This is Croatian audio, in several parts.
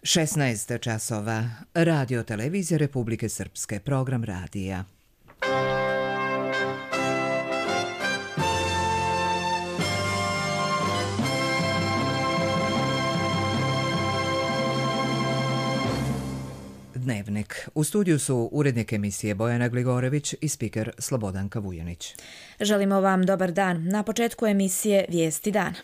16 časova. Radio televizija Republike Srpske. Program radija. Dnevnik. U studiju su urednik emisije Bojana Gligorević i spiker Slobodanka Vujanić. Želimo vam dobar dan. Na početku emisije Vijesti dana.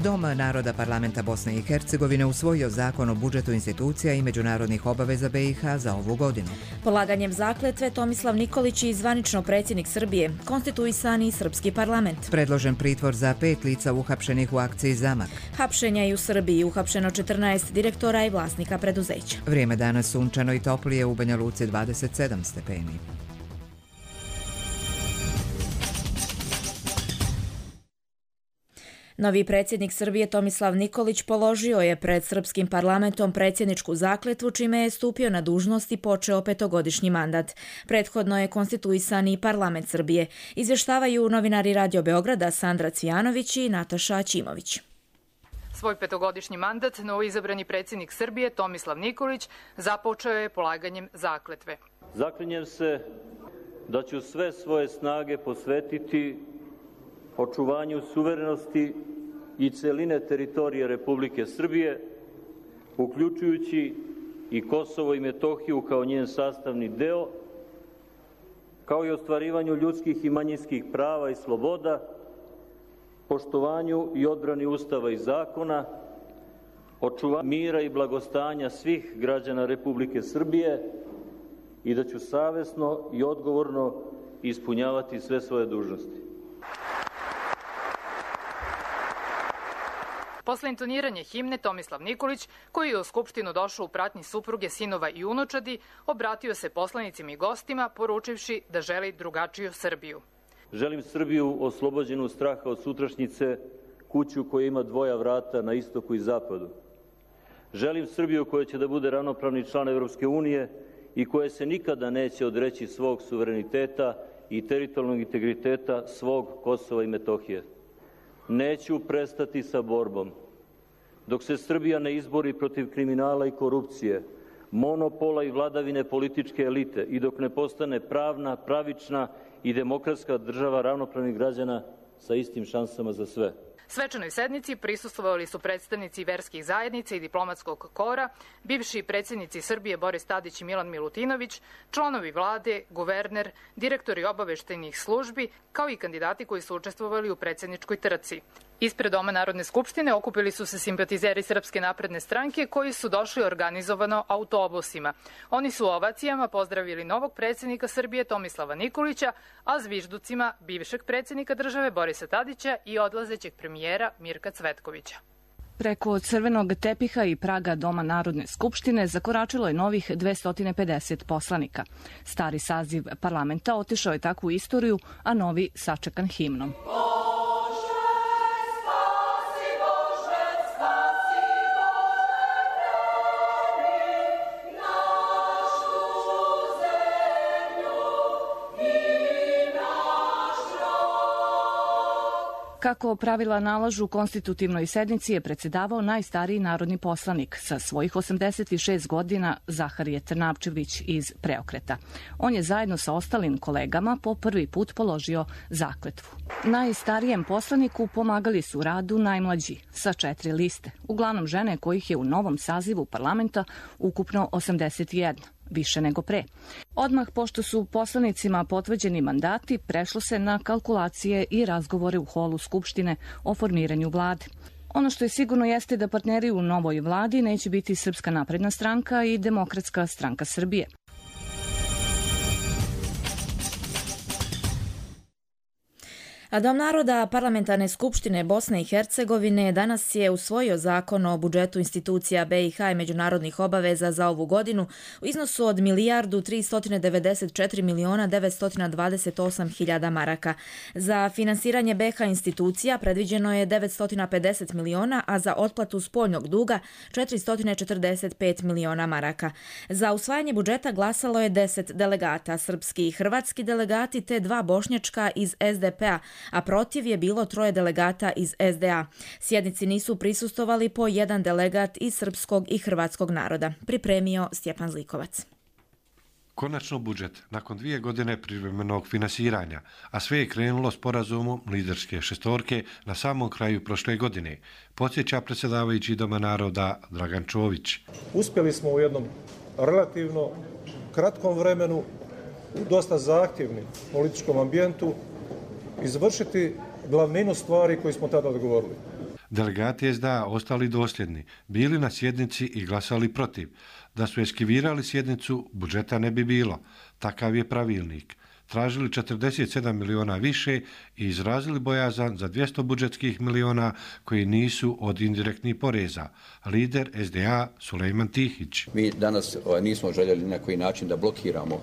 Dom naroda Parlamenta Bosne i Hercegovine usvojio zakon o budžetu institucija i međunarodnih obaveza BiH za ovu godinu. Polaganjem zakletve Tomislav Nikolić i zvanično predsjednik Srbije, konstituisani srpski parlament. Predložen pritvor za 5 lica uhapšenih u akciji Zamak. Hapšenja i u Srbiji, uhapšeno 14 direktora i vlasnika preduzeća. Vrijeme danas sunčano i toplije, u Banja Luci 27 stepeni. Novi predsjednik Srbije Tomislav Nikolić položio je pred srpskim parlamentom predsjedničku zakletvu, čime je stupio na dužnost i počeo 5-godišnji mandat. Prethodno je konstituisani parlament Srbije. Izvještavaju novinari Radio Beograda Sandra Cvijanović i Nataša Ćimović. Svoj 5-godišnji mandat novoizabrani predsjednik Srbije Tomislav Nikolić započeo je polaganjem zakletve. Zaklinjem se da ću sve svoje snage posvetiti očuvanju suverenosti i celine teritorije Republike Srbije, uključujući i Kosovo i Metohiju kao njen sastavni deo, kao i ostvarivanju ljudskih i manjinskih prava i sloboda, poštovanju i odbrani Ustava i zakona, očuvanju mira i blagostanja svih građana Republike Srbije i da ću savjesno i odgovorno ispunjavati sve svoje dužnosti. Posle intoniranja himne, Tomislav Nikolić, koji je u Skupštinu došao u pratnji supruge, sinova i unučadi, obratio se poslanicima i gostima, poručivši da želi drugačiju Srbiju. Želim Srbiju oslobođenu straha od sutrašnjice, kuću koja ima dvoja vrata na istoku i zapadu. Želim Srbiju koja će da bude ravnopravni član Evropske unije i koja se nikada neće odreći svog suvereniteta i teritorijalnog integriteta svog Kosova i Metohije. Neću prestati sa borbom. Dok se Srbija ne izbori protiv kriminala i korupcije, monopola i vladavine političke elite i dok ne postane pravna, pravična i demokratska država ravnopravnih građana sa istim šansama za sve. Svečanoj sednici prisustvovali su predstavnici verskih zajednica i diplomatskog kora, bivši predsjednici Srbije Boris Tadić i Milan Milutinović, članovi vlade, guverner, direktori obaveštajnih službi, kao i kandidati koji su učestvovali u predsjedničkoj trci. Ispred Doma Narodne skupštine okupili su se simpatizeri Srpske napredne stranke koji su došli organizovano autobusima. Oni su ovacijama pozdravili novog predsjednika Srbije Tomislava Nikolića, a zvižducima bivšeg predsjednika države Borisa Tadića i odlazećeg premijera Mirka Cvetkovića. Preko crvenog tepiha i praga Doma Narodne skupštine zakoračilo je novih 250 poslanika. Stari saziv parlamenta otišao je takvu istoriju, a novi sačekan himnom. Kako pravila nalažu, konstitutivnoj sednici je predsjedavao najstariji narodni poslanik sa svojih 86 godina Zaharije Trnavčević iz Preokreta. On je zajedno sa ostalim kolegama po prvi put položio zakletvu. Najstarijem poslaniku pomagali su u radu najmlađi sa 4 liste, uglavnom žene kojih je u novom sazivu parlamenta ukupno 81. Više nego pre. Odmah pošto su poslanicima potvrđeni mandati, prešlo se na kalkulacije i razgovore u holu Skupštine o formiranju vlade. Ono što je sigurno jeste da partneri u novoj vladi neće biti Srpska napredna stranka i Demokratska stranka Srbije. A Dom naroda Parlamentarne skupštine Bosne i Hercegovine danas je usvojio zakon o budžetu institucija BiH i međunarodnih obaveza za ovu godinu u iznosu od 1.394.928.000 maraka. Za finansiranje BiH institucija predviđeno je 950 miliona, a za otplatu spoljnog duga 445 miliona maraka. Za usvajanje budžeta glasalo je 10 delegata, srpski i hrvatski delegati te 2 bošnjačka iz SDP-a, a protiv je bilo 3 delegata iz SDA. Sjednici nisu prisustvovali po 1 delegat iz srpskog i hrvatskog naroda. Pripremio Stjepan Zlikovac. Konačno budžet, nakon 2 godine privremenog finansiranja, a sve je krenulo sporazumom liderske šestorke na samom kraju prošle godine, podsjeća predsjedavajući Doma naroda Dragan Čović. Uspjeli smo u jednom relativno kratkom vremenu, u dosta zahtjevnim političkom ambijentu, izvršiti glavninu stvari koje smo tada dogovorili. Delegati SDA ostali dosljedni, bili na sjednici i glasali protiv. Da su eskivirali sjednicu, budžeta ne bi bilo. Takav je pravilnik. Tražili 47 miliona više i izrazili bojazan za 200 budžetskih miliona koji nisu od indirektnih poreza. Lider SDA Sulejman Tihić. Mi danas nismo željeli na koji način da blokiramo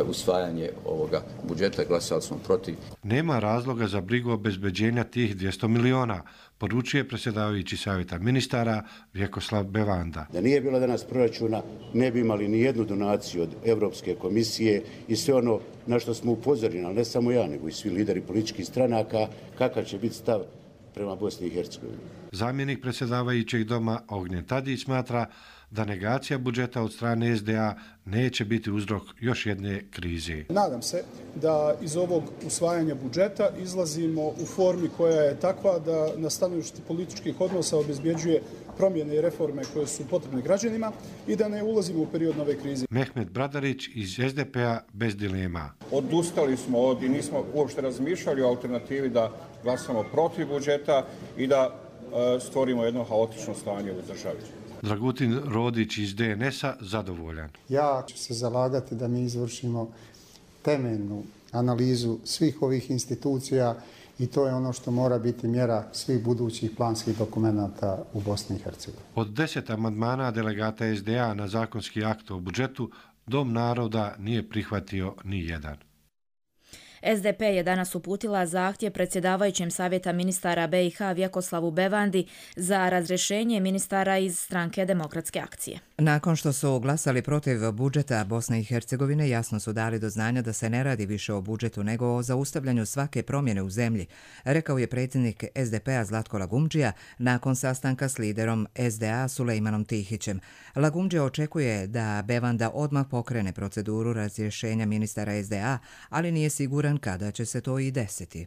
usvajanje ovoga budžeta, glasali smo protiv. Nema razloga za brigu obezbeđenja tih 200 miliona, poručuje predsjedavajući savjeta ministara Vjekoslav Bevanda. Da nije bilo danas proračuna, ne bi imali ni jednu donaciju od Europske komisije i sve ono na što smo upozorili, ali ne samo ja, nego i svi lideri političkih stranaka, kakav će biti stav prema Bosni i Hercegovini. Zamjenik predsjedavajućeg doma Ognjen Tadić smatra da negacija budžeta od strane SDA neće biti uzrok još jedne krize. Nadam se da iz ovog usvajanja budžeta izlazimo u formi koja je takva da na stanovištu političkih odnosa obezbjeđuje promjene i reforme koje su potrebne građanima i da ne ulazimo u period nove krize. Mehmet Bradarić iz SDP-a bez dilema. Odustali smo i nismo uopšte razmišljali o alternativi da glasamo protiv budžeta i da stvorimo jedno haotično stanje u državi. Dragutin Rodić iz DNS-a zadovoljan. Ja ću se zalagati da mi izvršimo temeljnu analizu svih ovih institucija i to je ono što mora biti mjera svih budućih planskih dokumenata u Bosni i Hercegovini. Od 10 amandmana delegata SDA na zakonski akt o budžetu, Dom naroda nije prihvatio ni jedan. SDP je danas uputila zahtjev predsjedavajućem savjeta ministara BiH Vjekoslavu Bevandi za razrješenje ministara iz stranke Demokratske akcije. Nakon što su glasali protiv budžeta Bosne i Hercegovine, jasno su dali do znanja da se ne radi više o budžetu nego o zaustavljanju svake promjene u zemlji, rekao je predsjednik SDP-a Zlatko Lagumdžija nakon sastanka s liderom SDA Sulejmanom Tihićem. Lagumdžija očekuje da Bevanda odmah pokrene proceduru razrješenja ministara SDA, ali nije siguran kada će se to i desiti.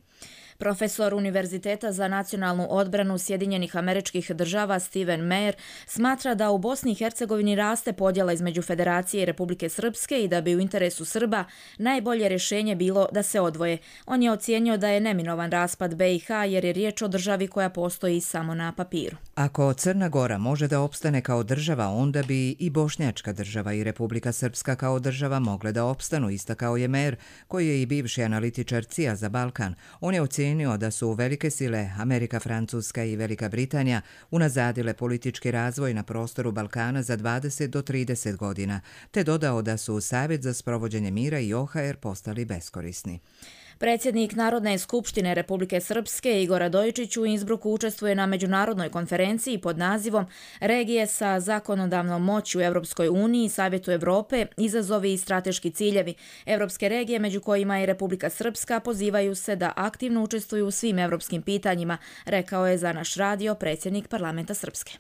Profesor Univerziteta za nacionalnu odbranu Sjedinjenih Američkih Država Steven Meyer smatra da u Bosni i Hercegovini raste podjela između Federacije i Republike Srpske i da bi u interesu Srba najbolje rješenje bilo da se odvoje. On je ocijenio da je neminovan raspad BiH jer je riječ o državi koja postoji samo na papiru. Ako Crna Gora može da opstane kao država, onda bi i Bošnjačka država i Republika Srpska kao država mogle da opstanu, istakao je Meyer, koji je i bivši analitičar CIA za Balkan. On je ocijenio da su velike sile Amerika, Francuska i Velika Britanija unazadile politički razvoj na prostoru Balkana za 20 do 30 godina, te dodao da su Savjet za sprovođenje mira i OHR postali beskorisni. Predsjednik Narodne skupštine Republike Srpske Igor Radojičić u Innsbrucku učestvuje na međunarodnoj konferenciji pod nazivom Regije sa zakonodavnom moći u Europskoj uniji, Savjetu Europe, izazovi i strateški ciljevi. Europske regije, među kojima i Republika Srpska, pozivaju se da aktivno učestvuju u svim europskim pitanjima, rekao je za naš radio predsjednik parlamenta Srpske.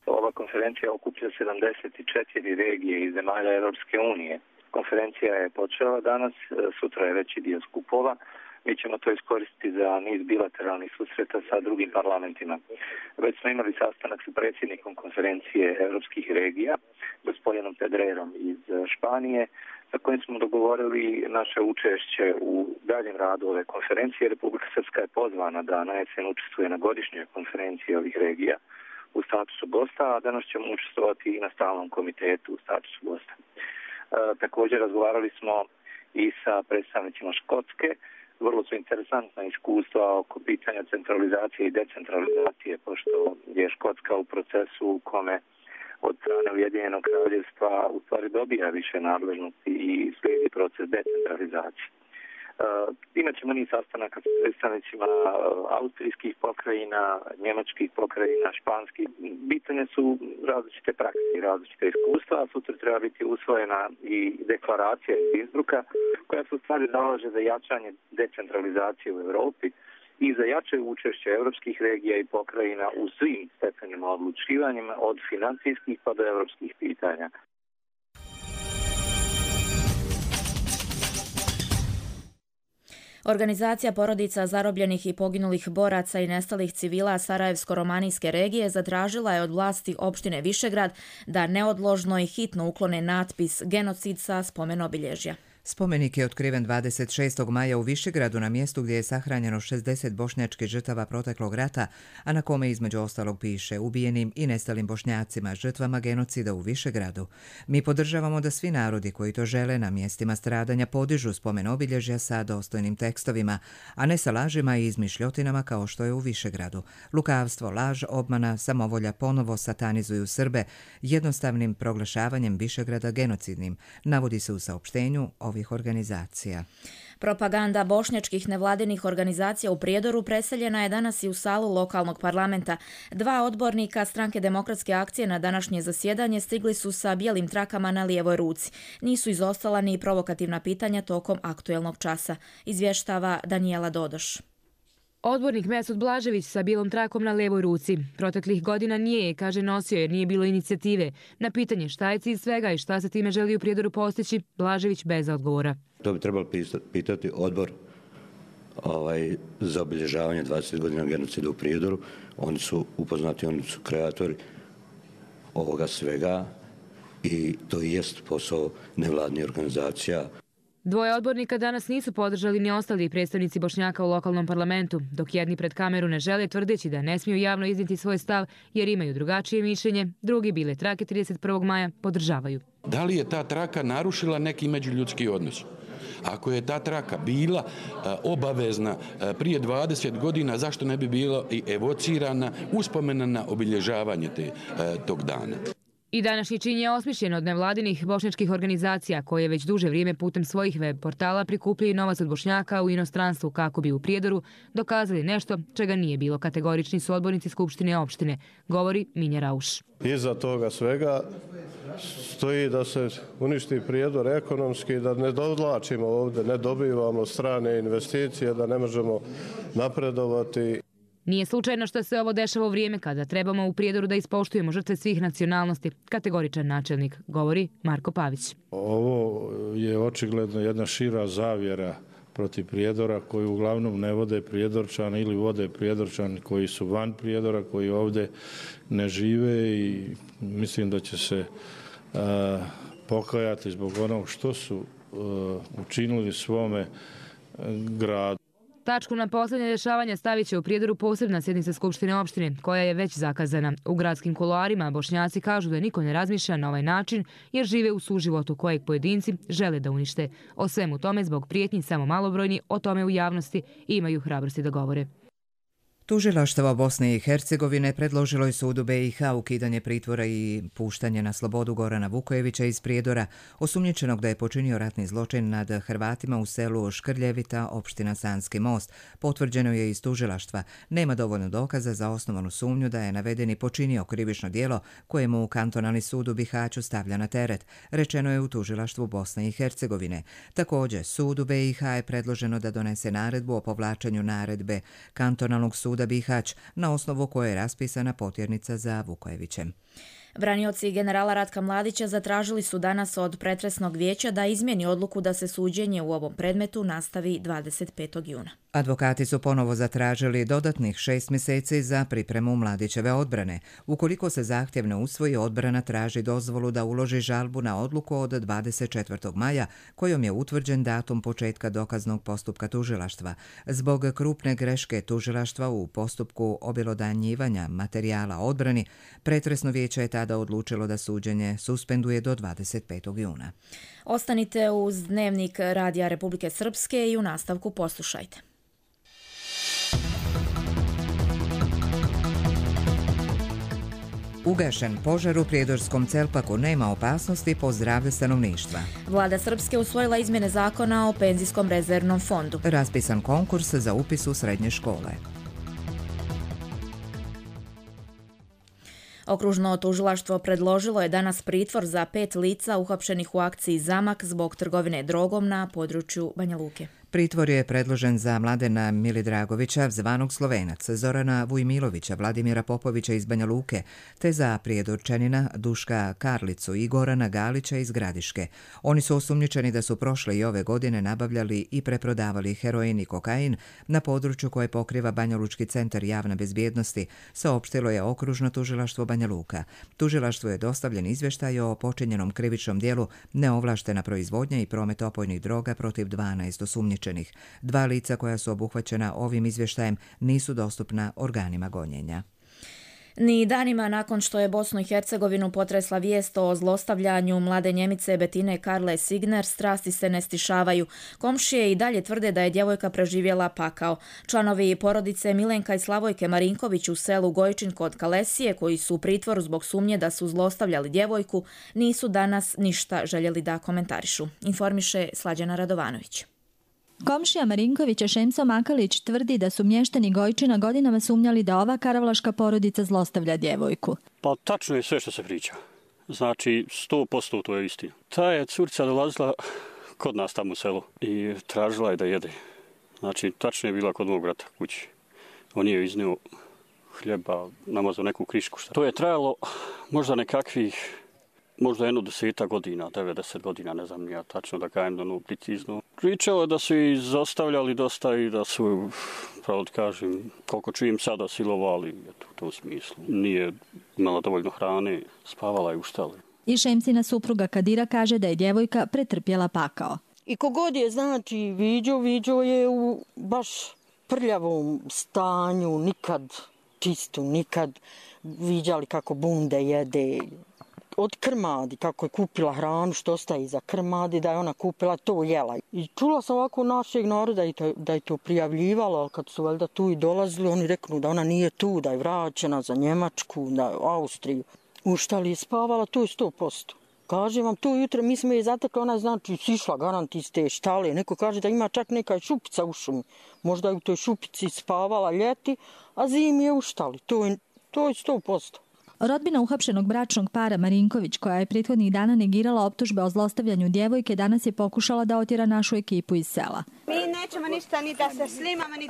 Ova konferencija okuplja 74 regije iz zemalja Europske unije. Konferencija je počela danas, sutra je veći dio skupova. Mi ćemo to iskoristiti za niz bilateralnih susreta sa drugim parlamentima. Već smo imali sastanak sa predsjednikom konferencije europskih regija, gospodinom Pedrerom iz Španije, sa kojim smo dogovorili naše učešće u daljem radu ove konferencije. Republika Srpska je pozvana da na jesen učestvuje na godišnjoj konferenciji ovih regija u statusu gosta, a danas ćemo učestvovati i na stalnom komitetu u statusu gosta. Također razgovarali smo i sa predstavnicima Škotske. Vrlo su interesantna iskustva oko pitanja centralizacije i decentralizacije, pošto je Škotska u procesu u kome od strane Ujedinjenog kraljevstva u stvari dobija više nadležnosti i slijedi proces decentralizacije. Imat ćemo niz sastanaka s predstavnicima austrijskih pokrajina, njemačkih pokrajina, španskih. Bitne su različite prakse i različite iskustva, a sutra treba biti usvojena i deklaracija iz Innsbrucka koja se u stvari zalaže za jačanje decentralizacije u Europi i za jače učešće evropskih regija i pokrajina u svim stepenima odlučivanjima od financijskih pa do evropskih pitanja. Organizacija porodica zarobljenih i poginulih boraca i nestalih civila Sarajevsko-romanijske regije zatražila je od vlasti opštine Višegrad da neodložno i hitno uklone natpis genocid sa spomen-obilježja. Spomenik je otkriven 26. maja u Višegradu na mjestu gdje je sahranjeno 60 bošnjačkih žrtava proteklog rata, a na kome između ostalog piše ubijenim i nestalim Bošnjacima, žrtvama genocida u Višegradu. Mi podržavamo da svi narodi koji to žele na mjestima stradanja podižu spomen obilježja sa dostojnim tekstovima, a ne sa lažima i izmišljotinama kao što je u Višegradu. Lukavstvo, laž, obmana, samovolja ponovo satanizuju Srbe jednostavnim proglašavanjem Višegrada genocidnim, navodi se u saopštenju ovih organizacija. Propaganda bošnjačkih nevladinih organizacija u Prijedoru preseljena je danas i u salu lokalnog parlamenta. 2 odbornika Stranke demokratske akcije na današnje zasjedanje stigli su sa bijelim trakama na lijevoj ruci. Nisu izostala ni provokativna pitanja tokom aktuelnog časa, izvještava Danijela Dodoš. Odbornik Mesut Blažević sa bijelom trakom na lijevoj ruci. Proteklih godina nije je, kaže, nosio jer nije bilo inicijative. Na pitanje šta je cilj svega i šta se time želi u Prijedoru postići, Blažević bez odgovora. To bi trebalo pitati odbor za obilježavanje 20 godina genocida u Prijedoru. Oni su upoznati, oni su kreatori ovoga svega i to i jest posao nevladnih organizacija. 2 odbornika danas nisu podržali ni ostali predstavnici Bošnjaka u lokalnom parlamentu, dok jedni pred kameru ne žele, tvrdeći da ne smiju javno iznijeti svoj stav jer imaju drugačije mišljenje, drugi bile trake 31. maja podržavaju. Da li je ta traka narušila neki međuljudski odnos? Ako je ta traka bila obavezna prije 20 godina, zašto ne bi bila i evocirana, uspomena na obilježavanje tog dana? I današnji čin je osmišljen od nevladinih bošnjačkih organizacija koje već duže vrijeme putem svojih web portala prikupljaju novac od Bošnjaka u inostranstvu kako bi u Prijedoru dokazali nešto čega nije bilo. Kategorični su odbornici Skupštine opštine, govori Minja Rauš. Iza toga svega stoji da se uništi Prijedor ekonomski, da ne dovlačimo ovdje, ne dobivamo strane investicije, da ne možemo napredovati. Nije slučajno što se ovo dešava u vrijeme kada trebamo u Prijedoru da ispoštujemo žrtve svih nacionalnosti, kategoričan načelnik, govori Marko Pavić. Ovo je očigledno jedna šira zavjera protiv Prijedora koju uglavnom ne vode Prijedorčani ili vode Prijedorčani koji su van Prijedora, koji ovdje ne žive i mislim da će se pokajati zbog onog što su učinili svome gradu. Tačku na posljednje dešavanja stavit će u Prijedoru posebna sjednica Skupštine opštine, koja je već zakazana. U gradskim kuloarima Bošnjaci kažu da niko ne razmišlja na ovaj način jer žive u suživotu kojeg pojedinci žele da unište. O svemu tome zbog prijetnji samo malobrojni o tome u javnosti imaju hrabrosti da govore. Tužilaštvo Bosne i Hercegovine predložilo je sudu BiH ukidanje pritvora i puštanje na slobodu Gorana Vukojevića iz Prijedora, osumnjičenog da je počinio ratni zločin nad Hrvatima u selu Škrljevita, opština Sanski Most. Potvrđeno je iz tužilaštva. Nema dovoljno dokaza za osnovanu sumnju da je navedeni počinio krivično djelo kojemu kantonalni sud u Bihaću stavlja na teret, rečeno je u tužilaštvu Bosne i Hercegovine. Također, sudu BiH je predloženo da donese naredbu o povlačenju naredbe kantonalnog suda Bihać, na osnovu koje je raspisana potjernica za Vukojevićem. Branioci generala Ratka Mladića zatražili su danas od pretresnog vijeća da izmjeni odluku da se suđenje u ovom predmetu nastavi 25. juna. Advokati su ponovo zatražili dodatnih 6 mjeseci za pripremu Mladićeve odbrane. Ukoliko se zahtjev ne usvoji, odbrana traži dozvolu da uloži žalbu na odluku od 24. maja, kojom je utvrđen datum početka dokaznog postupka tužilaštva. Zbog krupne greške tužilaštva u postupku objelodanjivanja materijala odbrani, pretresno vijeće je tada odlučilo da suđenje suspenduje do 25. juna. Ostanite uz Dnevnik Radija Republike Srpske i u nastavku poslušajte. Ugašen požar u prijedorskom Celpaku, nema opasnosti po zdravlje stanovništva. Vlada Srpske usvojila izmjene zakona o penzijskom rezervnom fondu. Raspisan konkurs za upis u srednje škole. Okružno tužilaštvo predložilo je danas pritvor za 5 lica uhapšenih u akciji Zamak zbog trgovine drogom na području Banja Luke. Pritvor je predložen za Mladena Milidragovića, zvanog Slovenac, Zorana Vujmilovića, Vladimira Popovića iz Banja Luke, te za prijedorčanina Duška Karlicu i Gorana Galića iz Gradiške. Oni su osumnjičeni da su prošle i ove godine nabavljali i preprodavali heroin i kokain na području koje pokriva Banjalučki centar javne bezbjednosti, saopštilo je Okružno tužilaštvo Banja Luka. Tužilaštvu je dostavljen izvještaj o počinjenom krivičnom dijelu neovlaštena proizvodnja i promet opojnih droga protiv 12 osumnjičenih. 2 lica koja su obuhvaćena ovim izvještajem nisu dostupna organima gonjenja. Ni danima nakon što je Bosnu i Hercegovinu potresla vijest o zlostavljanju mlade Njemice Betine Karle Signer, strasti se ne stišavaju. Komšije i dalje tvrde da je djevojka preživjela pakao. Članovi porodice Milenka i Slavojke Marinković u selu Gojčin kod Kalesije, koji su u pritvoru zbog sumnje da su zlostavljali djevojku, nisu danas ništa željeli da komentarišu. Informiše Slađana Radovanović. Komšija Marinkovića Šemso Makalić tvrdi da su mještani Gojčina godinama sumnjali da ova karavlaška porodica zlostavlja djevojku. Pa tačno je sve što se priča. Znači 100% to je istina. Ta je curica dolazila kod nas tamo u selu i tražila je da jede. Znači tačno je bila kod mog brata kući. On je iznio hljeba, namazao neku krišku. To je trajalo možda nekakvih možda 10 godina, 90 godina, ne znam ja tačno da kajem da precizno. Pričao da su i zostavljali dosta i da su, pravo da kažem, koliko čujem sada silovali, eto, u tom smislu. Nije imala dovoljno hrane, spavala je u štali. I Šemsina supruga Kadira kaže da je djevojka pretrpjela pakao. I kogod je, znači, viđo je u baš prljavom stanju, nikad čistu, nikad viđali kako bunde jede, od krmadi, kako je kupila hranu, što ostaje iza krmadi, da je ona kupila, to jela. I čula sam ovako našeg naroda da je to prijavljivala, ali kad su valjda tu i dolazili, oni reknu da ona nije tu, da je vraćena za Njemačku, da je u Austriju. U štali je spavala, to je 100%. Kažem vam, to jutro mi smo je zatekli, ona je znači sišla garant iz te štale. Neko kaže da ima čak neka šupica u šumi. Možda je u toj šupici spavala ljeti, a zimi je u štali. To je 100%. Rodbina uhapšenog bračnog para Marinković, koja je prethodnih dana negirala optužbe o zlostavljanju djevojke, danas je pokušala da otjera našu ekipu iz sela. Mi nećemo ništa ni da se slimamo, ni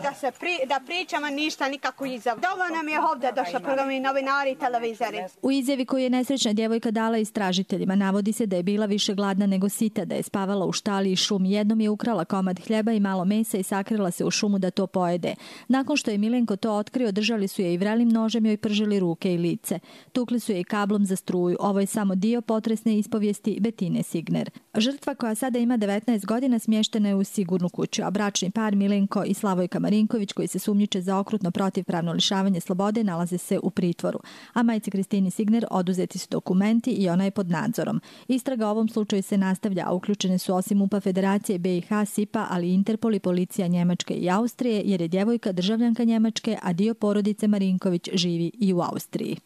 da pričamo, ništa nikako iza. Dovoljno nam je ovdje došlo programi novinari i televizori. U izjavi koju je nesrećna djevojka dala istražiteljima navodi se da je bila više gladna nego sita, da je spavala u štali i šumi. Jednom je ukrala komad hljeba i malo mesa i sakrila se u šumu da to pojede. Nakon što je Milenko to otkrio, držali su je i vrelim nožem joj pržili ruke i lice. Tukli su je i kablom za struju. Ovo je samo dio potresne ispovijesti Betine Signer. Žrtva, koja sada ima 19 godina, smještena je u sigurnu kuću, a bračni par Milenko i Slavojka Marinković, koji se sumnjiče za okrutno protivpravno lišavanje slobode, nalaze se u pritvoru. A majci Kristini Signer oduzeti su dokumenti i ona je pod nadzorom. Istraga o ovom slučaju se nastavlja, a uključene su osim UPA Federacije, BiH, SIPA, ali i Interpol i policija Njemačke i Austrije, jer je djevojka državljanka Njemačke, a dio porodice Marinković živi i u Austriji.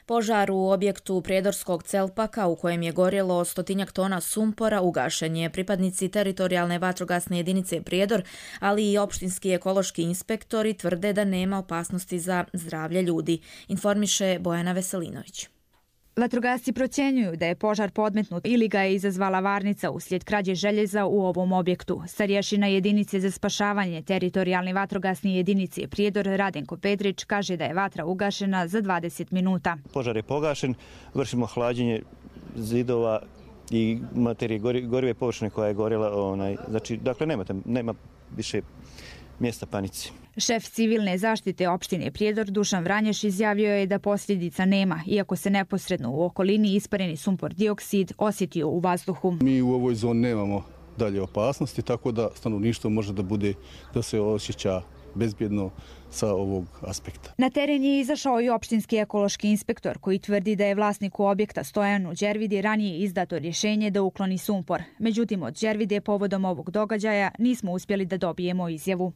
Požar u objektu prijedorskog Celpaka u kojem je gorjelo 100 tona sumpora ugašen je. Pripadnici teritorijalne vatrogasne jedinice Prijedor, ali i opštinski ekološki inspektori tvrde da nema opasnosti za zdravlje ljudi, informiše Bojana Veselinović. Vatrogasci procjenjuju da je požar podmetnut ili ga je izazvala varnica uslijed krađe željeza u ovom objektu. Starješina jedinice za spašavanje teritorijalne vatrogasne jedinice Prijedor Radenko Pedrić kaže da je vatra ugašena za 20 minuta. Požar je pogašen, vršimo hlađenje zidova i materije gorive površine koja je gorjela. Znači, dakle, nema više mjesta panici. Šef civilne zaštite opštine Prijedor Dušan Vranješ izjavio je da posljedica nema, iako se neposredno u okolini ispareni sumpor dioksid osjetio u vazduhu. Mi u ovoj zoni nemamo dalje opasnosti, tako da stanovništvo može da se osjeća bezbjedno sa ovog aspekta. Na teren je izašao i opštinski ekološki inspektor koji tvrdi da je vlasniku objekta Stojanu Đervidi ranije izdato rješenje da ukloni sumpor. Međutim, od Đervide povodom ovog događaja nismo uspjeli da dobijemo izjavu.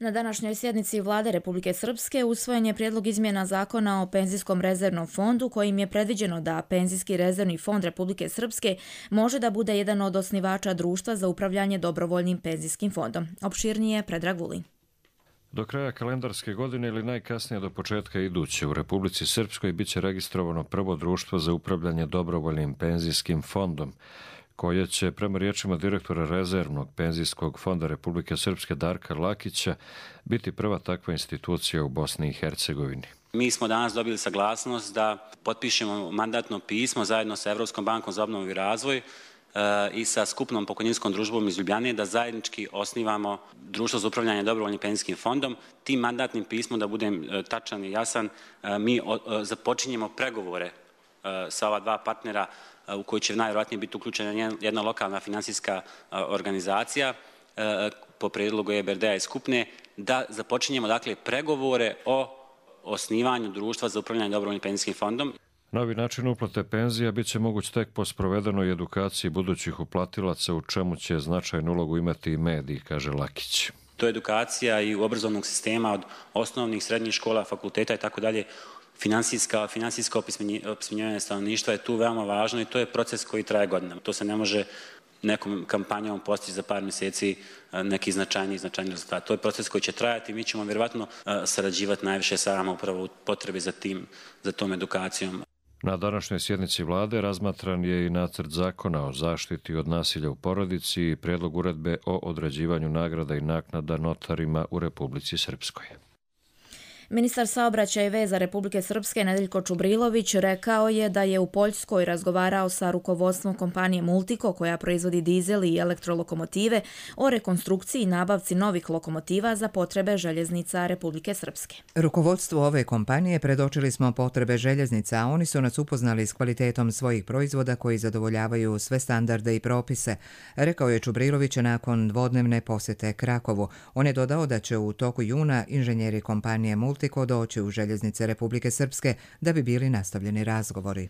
Na današnjoj sjednici Vlade Republike Srpske usvojen je prijedlog izmjena zakona o penzijskom rezervnom fondu kojim je predviđeno da Penzijski rezervni fond Republike Srpske može da bude jedan od osnivača društva za upravljanje dobrovoljnim penzijskim fondom. Opširnije Predrag Vulin. Do kraja kalendarske godine ili najkasnije do početka iduće u Republici Srpskoj biće registrovano prvo društvo za upravljanje dobrovoljnim penzijskim fondom, koje će, prema riječima direktora Rezervnog penzijskog fonda Republike Srpske Darka Lakića, biti prva takva institucija u Bosni i Hercegovini. Mi smo danas dobili saglasnost da potpišemo mandatno pismo zajedno sa Evropskom bankom za obnovu i razvoj i sa skupnom pokojninskom družbom iz Ljubljane da zajednički osnivamo društvo za upravljanje dobrovoljnim penzijskim fondom. Tim mandatnim pismom, da budem tačan i jasan, mi započinjemo pregovore sa ova dva partnera u koji će najvjerojatnije biti uključena jedna lokalna finansijska organizacija po prijedlogu EBRD-a i skupne, da započinjemo dakle pregovore o osnivanju društva za upravljanje dobrovoljnim penzijskim fondom. Novi način uplate penzija bit će moguć tek po sprovedenoj edukaciji budućih uplatilaca, u čemu će značajnu ulogu imati i mediji, kaže Lakić. To je edukacija i obrazovnog sistema od osnovnih, srednjih škola, fakulteta i tako dalje. Finansijsko opismenjivanje stanovništva je tu veoma važno i to je proces koji traje godinama. To se ne može nekom kampanjom postići za par mjeseci neki značajni rezultat. To je proces koji će trajati i mi ćemo vjerovatno sarađivati najviše sa vama upravo u potrebi za tom edukacijom. Na današnjoj sjednici Vlade razmatran je i nacrt zakona o zaštiti od nasilja u porodici i prijedlog uredbe o određivanju nagrada i naknada notarima u Republici Srpskoj. Ministar saobraćaja i veza Republike Srpske Nedeljko Čubrilović rekao je da je u Poljskoj razgovarao sa rukovodstvom kompanije Multico koja proizvodi dizel i elektrolokomotive o rekonstrukciji i nabavci novih lokomotiva za potrebe željeznica Republike Srpske. Rukovodstvu ove kompanije predočili smo potrebe željeznica, a oni su nas upoznali s kvalitetom svojih proizvoda koji zadovoljavaju sve standarde i propise, rekao je Čubrilović nakon dvodnevne posjete Krakovu. On je dodao da će u toku juna inženjeri kompanije Multico doći u željeznice Republike Srpske da bi bili nastavljeni razgovori.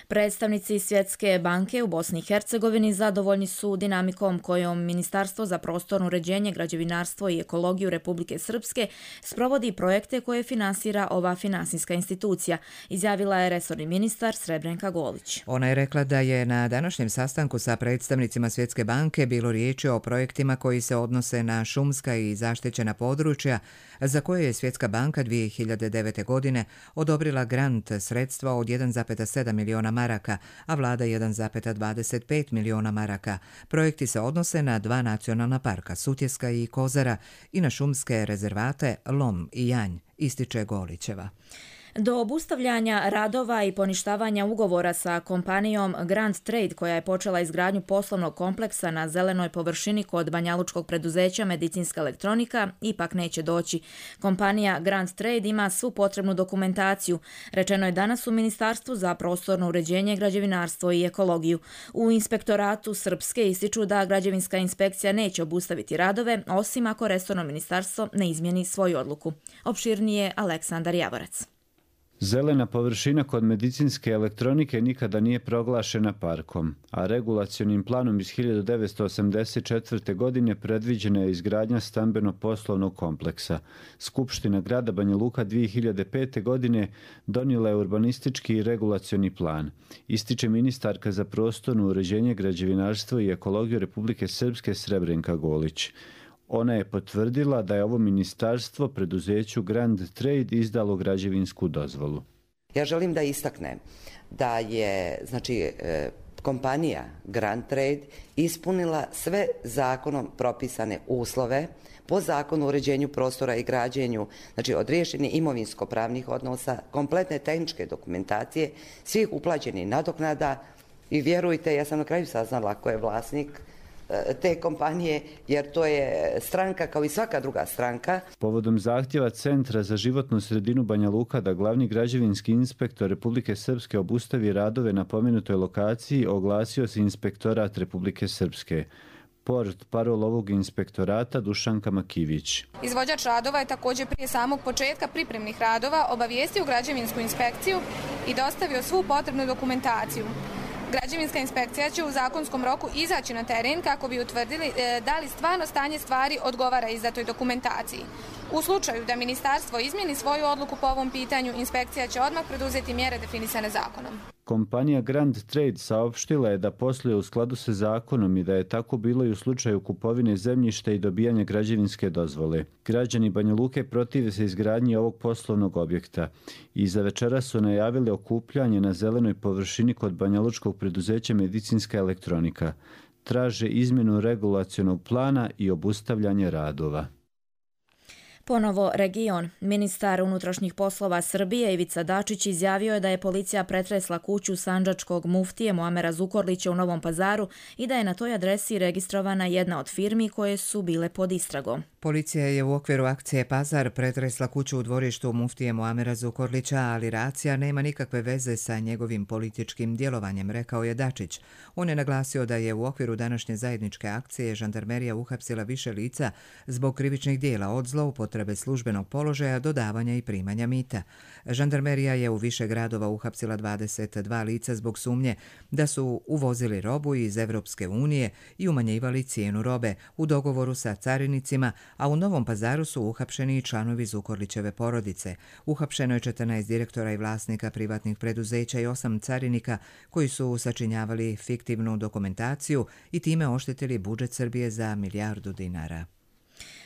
Predstavnici Svjetske banke u Bosni i Hercegovini zadovoljni su dinamikom kojom Ministarstvo za prostorno uređenje, građevinarstvo i ekologiju Republike Srpske sprovodi projekte koje finansira ova finansijska institucija, izjavila je resorni ministar Srebrenka Golić. Ona je rekla da je na današnjem sastanku sa predstavnicima Svjetske banke bilo riječi o projektima koji se odnose na šumska i zaštićena područja, za koje je Svjetska banka 2009. godine odobrila grant sredstva od 1,7 miliona maraka, a vlada 1,25 miliona maraka. Projekti se odnose na 2 nacionalna parka, Sutjeska i Kozara, i na šumske rezervate Lom i Janj, ističe Golićeva. Do obustavljanja radova i poništavanja ugovora sa kompanijom Grand Trade, koja je počela izgradnju poslovnog kompleksa na zelenoj površini kod banjalučkog preduzeća Medicinska elektronika, ipak neće doći. Kompanija Grand Trade ima svu potrebnu dokumentaciju, rečeno je danas u Ministarstvu za prostorno uređenje, građevinarstvo i ekologiju. U inspektoratu Srpske ističu da građevinska inspekcija neće obustaviti radove, osim ako resorno ministarstvo ne izmjeni svoju odluku. Opširnije Aleksandar Javorac. Zelena površina kod medicinske elektronike nikada nije proglašena parkom, a regulacionim planom iz 1984. godine predviđena je izgradnja stambeno-poslovnog kompleksa. Skupština grada Banja Luka 2005. godine donijela je urbanistički i regulacioni plan. Ističe ministarka za prostorno uređenje, građevinarstvo i ekologiju Republike Srpske Srebrenka Golić. Ona je potvrdila da je ovo ministarstvo preduzeću Grand Trade izdalo građevinsku dozvolu. Ja želim da istaknem da je kompanija Grand Trade ispunila sve zakonom propisane uslove po zakonu o uređenju prostora i građenju, od riješenih imovinsko-pravnih odnosa, kompletne tehničke dokumentacije, svih uplaćenih nadoknada i vjerujte, ja sam na kraju saznala ko je vlasnik te kompanije, jer to je stranka kao i svaka druga stranka. Povodom zahtjeva Centra za životnu sredinu Banja Luka da glavni građevinski inspektor Republike Srpske obustavi radove na pomenutoj lokaciji, oglasio se Inspektorat Republike Srpske. Portparol ovog inspektorata Dušanka Makivić. Izvođač radova je također prije samog početka pripremnih radova obavijestio građevinsku inspekciju i dostavio svu potrebnu dokumentaciju. Građevinska inspekcija će u zakonskom roku izaći na teren kako bi utvrdili da li stvarno stanje stvari odgovara izdatoj dokumentaciji. U slučaju da ministarstvo izmijeni svoju odluku po ovom pitanju, inspekcija će odmah preduzeti mjere definisane zakonom. Kompanija Grand Trade saopštila je da posluje u skladu sa zakonom i da je tako bilo i u slučaju kupovine zemljišta i dobijanja građevinske dozvole. Građani Banja Luke protive se izgradnji ovog poslovnog objekta i za večera su najavili okupljanje na zelenoj površini kod banjalučkog preduzeća Medicinska elektronika. Traže izmjenu regulacionog plana i obustavljanje radova. Ponovo region. Ministar unutrašnjih poslova Srbije Ivica Dačić izjavio je da je policija pretresla kuću sandžačkog muftije Muamera Zukorlića u Novom Pazaru i da je na toj adresi registrovana jedna od firmi koje su bile pod istragom. Policija je u okviru akcije Pazar pretresla kuću u dvorištu muftije Muamera Zukorlića, ali racija nema nikakve veze sa njegovim političkim djelovanjem, rekao je Dačić. On je naglasio da je u okviru današnje zajedničke akcije žandarmerija uhapsila više lica zbog krivičnih dijela od zloupotrebe službenog položaja do davanja i primanja mita. Žandarmerija je u više gradova uhapsila 22 lica zbog sumnje da su uvozili robu iz Evropske unije i umanjivali cijenu robe u dogovoru sa carinicima, a u Novom Pazaru su uhapšeni i članovi Zukorlićeve porodice. Uhapšeno je 14 direktora i vlasnika privatnih preduzeća i 8 carinika koji su sačinjavali fiktivnu dokumentaciju i time oštetili budžet Srbije za milijardu dinara.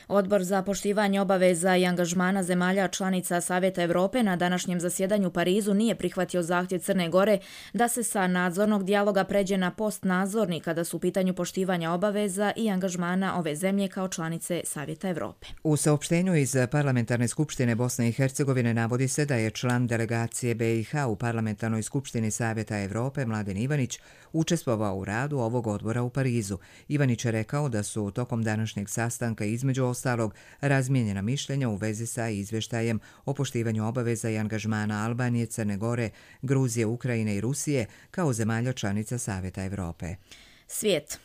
Odbor za poštivanje obaveza i angažmana zemalja članica Savjeta Evrope na današnjem zasjedanju u Parizu nije prihvatio zahtjev Crne Gore da se sa nadzornog dijaloga pređe na postnadzorni kada su u pitanju poštivanja obaveza i angažmana ove zemlje kao članice Savjeta Evrope. U saopštenju iz Parlamentarne skupštine Bosne i Hercegovine navodi se da je član delegacije BiH u Parlamentarnoj skupštini Savjeta Evrope Mladen Ivanić učestvovao u radu ovog odbora u Parizu. Ivanić je rekao da su tokom današnjeg sastanka između ostalog razmijenjena mišljenja u vezi sa izvještajem o poštivanju obaveza i angažmana Albanije, Crne Gore, Gruzije, Ukrajine i Rusije kao zemalja članica Savjeta Evrope. Svijet.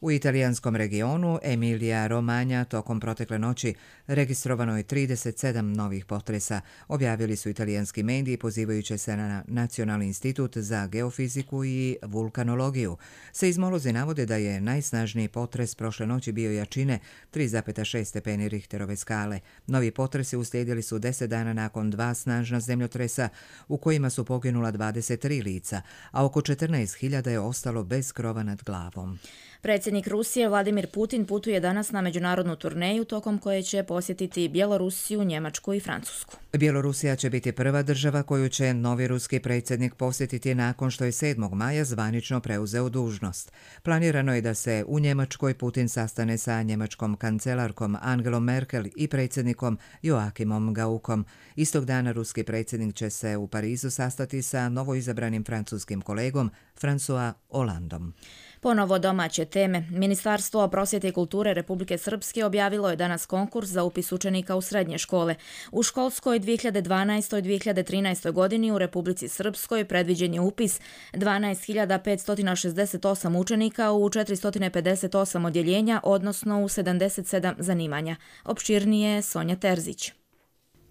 U italijanskom regionu Emilija Romagna tokom protekle noći registrovano je 37 novih potresa, objavili su italijanski mediji pozivajući se na Nacionalni institut za geofiziku i vulkanologiju. Seizmolozi navode da je najsnažniji potres prošle noći bio jačine 3,6 stepeni Richterove skale. Novi potresi uslijedili su 10 dana nakon 2 snažna zemljotresa u kojima su poginula 23 lica, a oko 14.000 je ostalo bez krova nad glavom. Predsjednik Rusije Vladimir Putin putuje danas na međunarodnu turneju tokom koje će posjetiti Bjelorusiju, Njemačku i Francusku. Bjelorusija će biti prva država koju će novi ruski predsjednik posjetiti nakon što je 7. maja zvanično preuzeo dužnost. Planirano je da se u Njemačkoj Putin sastane sa njemačkom kancelarkom Angelom Merkel i predsjednikom Joachimom Gaukom. Istog dana ruski predsjednik će se u Parizu sastati sa novoizabranim francuskim kolegom François Hollandom. Ponovo domaće teme. Ministarstvo prosvjete i kulture Republike Srpske objavilo je danas konkurs za upis učenika u srednje škole. U školskoj 2012-2013 godini u Republici Srpskoj predviđen je upis 12.568 učenika u 458 odjeljenja, odnosno u 77 zanimanja. Opširnije Sonja Terzić.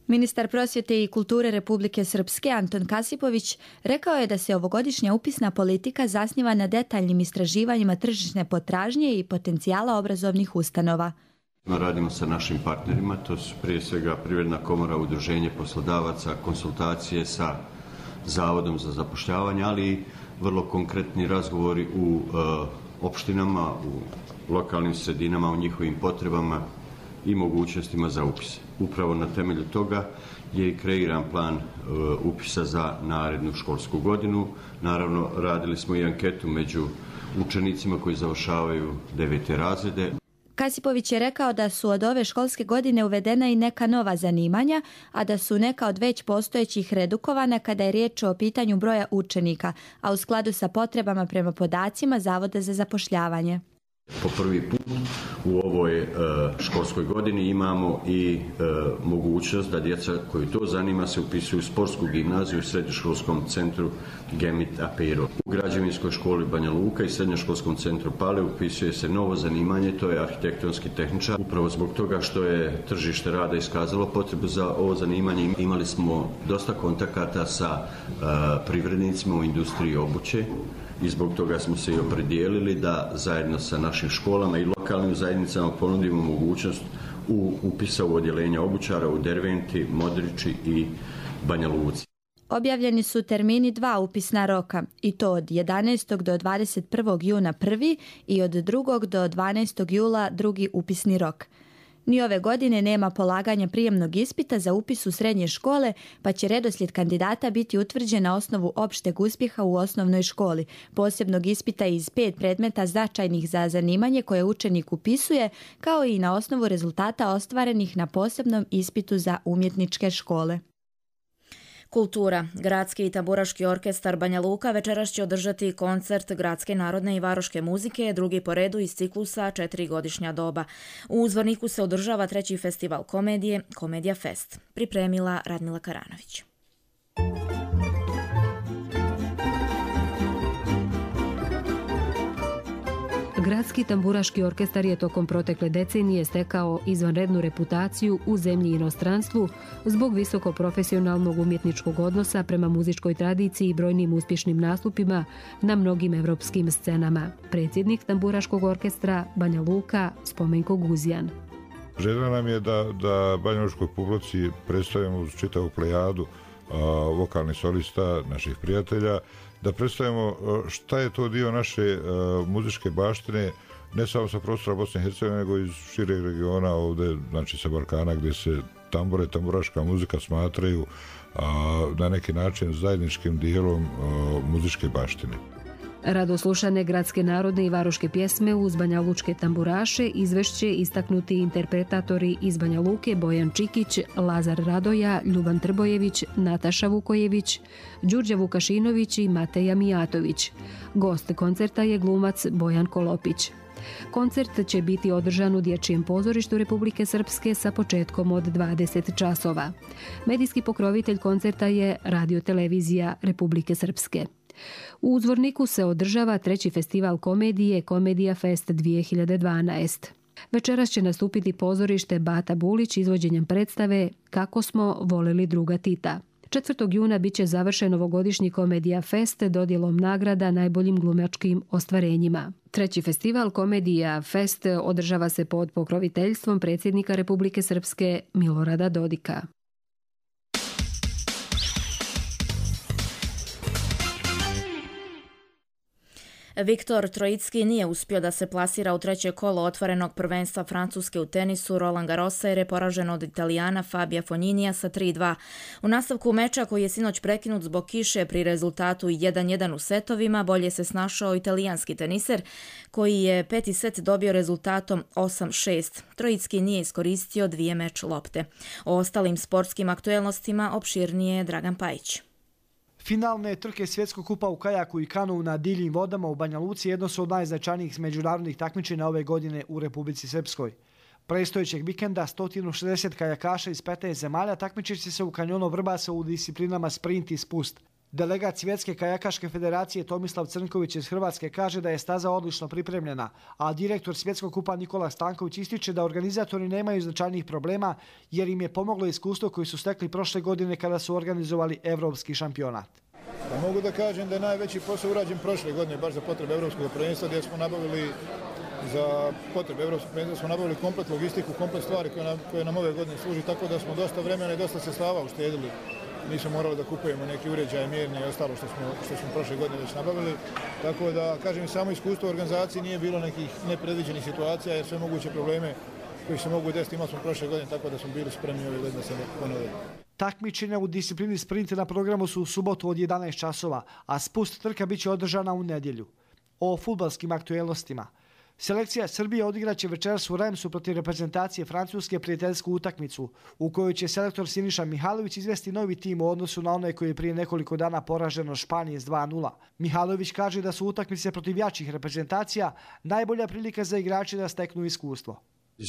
Ministar prosvjete i kulture Republike Srpske Anton Kasipović rekao je da se ovogodišnja upisna politika zasniva na detaljnim istraživanjima tržišne potražnje i potencijala obrazovnih ustanova. Radimo sa našim partnerima, to su prije svega Privredna komora, Udruženje poslodavaca, konsultacije sa Zavodom za zapošljavanje, ali i vrlo konkretni razgovori u opštinama, u lokalnim sredinama, o njihovim potrebama i mogućnostima za upis. Upravo na temelju toga je i kreiran plan upisa za narednu školsku godinu. Naravno, radili smo i anketu među učenicima koji završavaju 9. razrede. Kasipović je rekao da su od ove školske godine uvedena i neka nova zanimanja, a da su neka od već postojećih redukovana kada je riječ o pitanju broja učenika, a u skladu sa potrebama prema podacima Zavoda za zapošljavanje. Po prvi put u ovoj školskoj godini imamo i mogućnost da djeca koju to zanima se upisuju u sportsku gimnaziju u srednjoškolskom centru Gemit Apiro. U građevinskoj školi Banja Luka i srednjoškolskom centru Pale upisuje se novo zanimanje, to je arhitektonski tehničar. Upravo zbog toga što je tržište rada iskazalo potrebu za ovo zanimanje, imali smo dosta kontakata sa privrednicima u industriji obuće. I zbog toga smo se i opredijelili da zajedno sa našim školama i lokalnim zajednicama ponudimo mogućnost upisa u odjeljenja obućara u Derventi, Modriči i Banja Luci. Objavljeni su termini 2 upisna roka i to od 11. do 21. juna prvi i od 2. do 12. jula drugi upisni rok. Ni ove godine nema polaganja prijemnog ispita za upis u srednje škole, pa će redoslijed kandidata biti utvrđen na osnovu opšteg uspjeha u osnovnoj školi, posebnog ispita iz 5 predmeta značajnih za zanimanje koje učenik upisuje, kao i na osnovu rezultata ostvarenih na posebnom ispitu za umjetničke škole. Kultura. Gradski i tamburaški orkestar Banja Luka večeras će održati koncert gradske narodne i varoške muzike, drugi po redu iz ciklusa 4-godišnja doba. U Zvorniku se održava 3. festival komedije, Komedija Fest. Pripremila Radmila Karanović. Gradski tamburaški orkestar je tokom protekle decenije stekao izvanrednu reputaciju u zemlji i inostranstvu zbog visoko profesionalnog umjetničkog odnosa prema muzičkoj tradiciji i brojnim uspješnim nastupima na mnogim evropskim scenama. Predsjednik tamburaškog orkestra Banja Luka Spomenko Guzjan. Želja nam je da banjalučkoj publici predstavimo uz čitavu plejadu vokalnih solista, naših prijatelja, da predstavimo šta je to dio naše muzičke baštine, ne samo sa prostora Bosne i Hercegovine, nego iz šireg regiona ovdje, znači sa Balkana, gdje se tambure, tamburaška muzika smatraju na neki način zajedničkim dijelom muzičke baštine. Radoslušane gradske narodne i varoške pjesme uz banjalučke tamburaše izvešće istaknuti interpretatori iz Banja Luke Bojan Čikić, Lazar Radoja, Ljuban Trbojević, Nataša Vukojević, Đurđa Vukašinović i Mateja Mijatović. Gost koncerta je glumac Bojan Kolopić. Koncert će biti održan u Dječjem pozorištu Republike Srpske sa početkom od 20 časova. Medijski pokrovitelj koncerta je Radio-televizija Republike Srpske. U Zvorniku se održava 3. festival komedije Komedija Fest 2012. Večeras će nastupiti pozorište Bata Bulić izvođenjem predstave Kako smo volili druga Tita. 4. juna bit će završen ovogodišnji Komedija Fest dodjelom nagrada najboljim glumačkim ostvarenjima. 3. festival Komedija Fest održava se pod pokroviteljstvom predsjednika Republike Srpske Milorada Dodika. Viktor Trojicki nije uspio da se plasira u 3. kolo otvorenog prvenstva Francuske u tenisu Roland Garrosa jer je poražen od Italijana Fabia Fogninija sa 3-2. U nastavku meča koji je sinoć prekinut zbog kiše pri rezultatu 1-1 u setovima, bolje se snašao italijanski teniser koji je 5. set dobio rezultatom 8-6. Trojicki nije iskoristio 2 meč lopte. O ostalim sportskim aktuelnostima opširnije je Dragan Pajić. Finalne trke svjetskog kupa u kajaku i kanu na divljim vodama u Banja Luci jedno su od najznačajnijih međunarodnih takmičenja ove godine u Republici Srpskoj. Predstojećeg vikenda 160 kajakaša iz 15 zemalja takmičit će se u kanjonu Vrbasa u disciplinama sprint i spust. Delegat Svjetske kajakaške federacije Tomislav Crnković iz Hrvatske kaže da je staza odlično pripremljena, a direktor Svjetskog kupa Nikola Stanković ističe da organizatori nemaju značajnih problema jer im je pomoglo iskustvo koji su stekli prošle godine kada su organizovali evropski šampionat. Mogu da kažem da je najveći posao urađen prošle godine baš za potrebe evropskog prvenstva gdje smo nabavili za potrebe evropskog prvenstva smo nabavili komplet logistiku, komplet stvari koje nam ove godine služi, tako da smo dosta vremena i dosta sredstava uštedili. Nismo morali da kupujemo neki uređaje mjerni i ostalo što smo prošle godine već nabavili. Tako da, kažem, samo iskustvo u organizaciji nije bilo nekih nepredviđenih situacija jer sve moguće probleme koji se mogu desiti imali smo prošle godine, tako da smo bili spremni ove godine da se ponove. Takmičenja u disciplini sprint na programu su u subotu od 11 časova, a spust trka biće održana u nedjelju. O fudbalskim aktuelnostima. Selekcija Srbije odigraće večeras u Remsu protiv reprezentacije Francuske prijateljsku utakmicu, u kojoj će selektor Siniša Mihajlović izvesti novi tim u odnosu na onaj koji je prije nekoliko dana poražen od Španije s 2-0. Mihajlović kaže da su utakmice protiv jačih reprezentacija najbolja prilika za igrače da steknu iskustvo.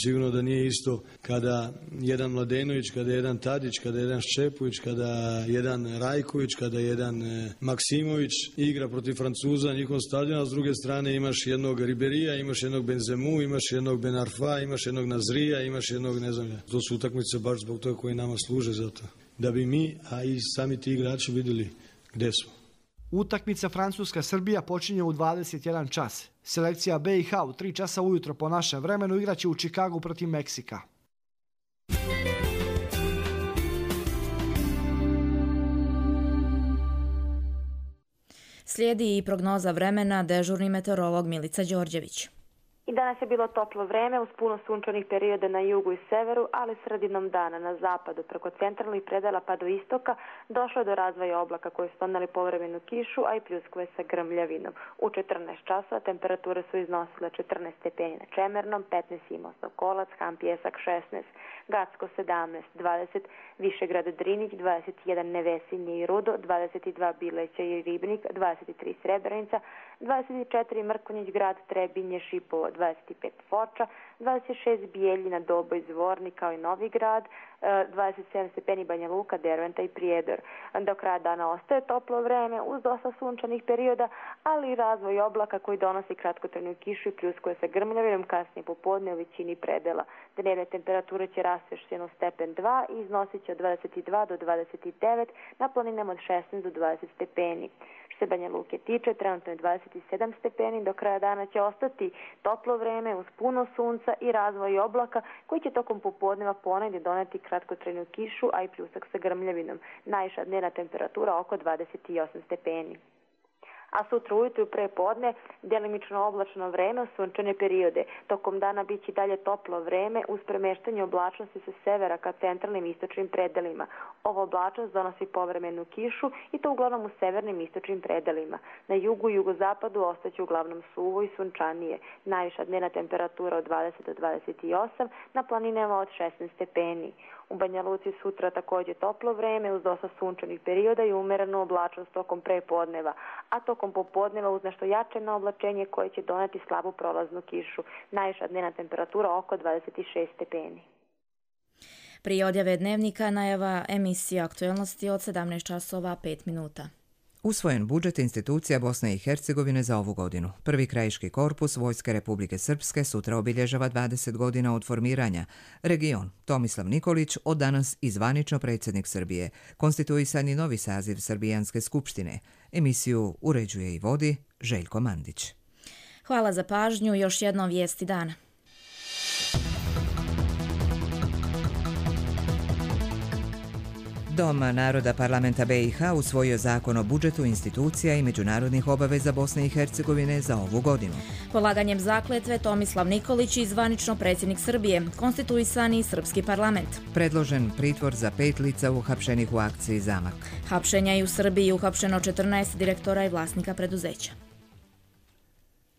Sigurno da nije isto kada jedan Mladenović, kada jedan Tadić, kada jedan Ščepović, kada jedan Rajković, kada jedan Maksimović igra protiv Francuza na njihovom stadionu, a s druge strane imaš jednog Riberija, imaš jednog Benzemu, imaš jednog Benarfa, imaš jednog Nazrija, imaš jednog ne znam. To su utakmice baš zbog toga koji nama služe za to. Da bi mi, a i sami ti igrači vidjeli gdje smo. Utakmica Francuska-Srbija počinje u 21 čas. Selekcija BiH u 3 časa ujutro po našem vremenu igraće u Čikagu protiv Meksika. Slijedi i prognoza vremena, dežurni meteorolog Milica Đorđević. I danas je bilo toplo vreme uz puno sunčanih perioda na jugu i severu, ali sredinom dana na zapadu preko centralnih predela pa do istoka došlo je do razvoja oblaka koji su doneli povremenu kišu, a i pljuskove sa grmljavinom. U 14 časova temperature su iznosile 14 stepeni na Čemernom, 15 Imosov Kolac, Han Pjesak 16, Gacko 17, 20, Višegrad Drinić, 21 Nevesinje i Rudo, 22 Bileća i Ribnik, 23 Srebrenica, 24 Mrkonjić Grad, Trebinje, Šipovo, 25 Foča, 26 Bijeljina, Doboj, Zvornik kao i Novi Grad, 27 stepeni Banja Luka, Derventa i Prijedor. Do kraja dana ostaje toplo vreme uz dosta sunčanih perioda, ali i razvoj oblaka koji donosi kratkotrajnu kišu i pljuskuje sa grmljavinom kasnije popodne u većini predela. Dnevne temperature će rasti još jedno stepen 2 i iznosit će od 22 do 29, na planinama od 16 do 20 stepeni. Što se Banja Luke tiče, trenutno je 27 stepeni, do kraja dana će ostati toplo vreme uz puno sunca i razvoj oblaka koji će tokom popodneva ponegdje doneti kratkotrajnu kišu, a i pljusak sa grmljavinom. Najviša dnevna temperatura oko 28 stepeni. A sutra ujutru pre podne djelimično oblačno vreme, sunčane periode. Tokom dana biće dalje toplo vreme uz premeštanje oblačnosti sa severa ka centralnim istočnim predelima. Ova oblačnost donosi povremenu kišu i to uglavnom u severnim istočnim predelima. Na jugu i jugozapadu ostaće uglavnom suvo i sunčanije. Najviša dnevna temperatura od 20 do 28, na planinama od 16 stepeni. U Banja Luci sutra također toplo vreme uz dosta sunčanih perioda i umerenu oblačnost tokom prepodneva, a tokom popodneva uz nešto jače oblačenje koje će doneti slabu prolaznu kišu. Najviša dnevna temperatura oko 26 stepeni. Prije odjave dnevnika najava emisija aktualnosti od 17 časova 5 minuta. Usvojen budžet institucija Bosne i Hercegovine za ovu godinu. Prvi krajiški korpus Vojske Republike Srpske sutra obilježava 20 godina od formiranja. Region Tomislav Nikolić od danas i zvanično predsjednik Srbije. Konstituisani novi saziv Srbijanske skupštine. Emisiju uređuje i vodi Željko Mandić. Hvala za pažnju, još jednom vijesti dana. Dom naroda parlamenta BiH usvojio zakon o budžetu institucija i međunarodnih obaveza Bosne i Hercegovine za ovu godinu. Polaganjem zakletve Tomislav Nikolić i zvanično predsjednik Srbije, konstituisani srpski parlament. Predložen pritvor za 5 lica uhapšenih u akciji Zamak. Hapšenja i u Srbiji uhapšeno 14 direktora i vlasnika preduzeća.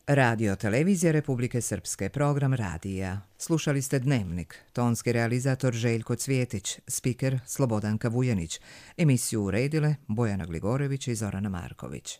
Radio Televizija Republike Srpske, program radija. Slušali ste Dnevnik, tonski realizator Željko Cvjetić, spiker Slobodanka Vujanić. Emisiju uredile Bojana Gligorević i Zorana Marković.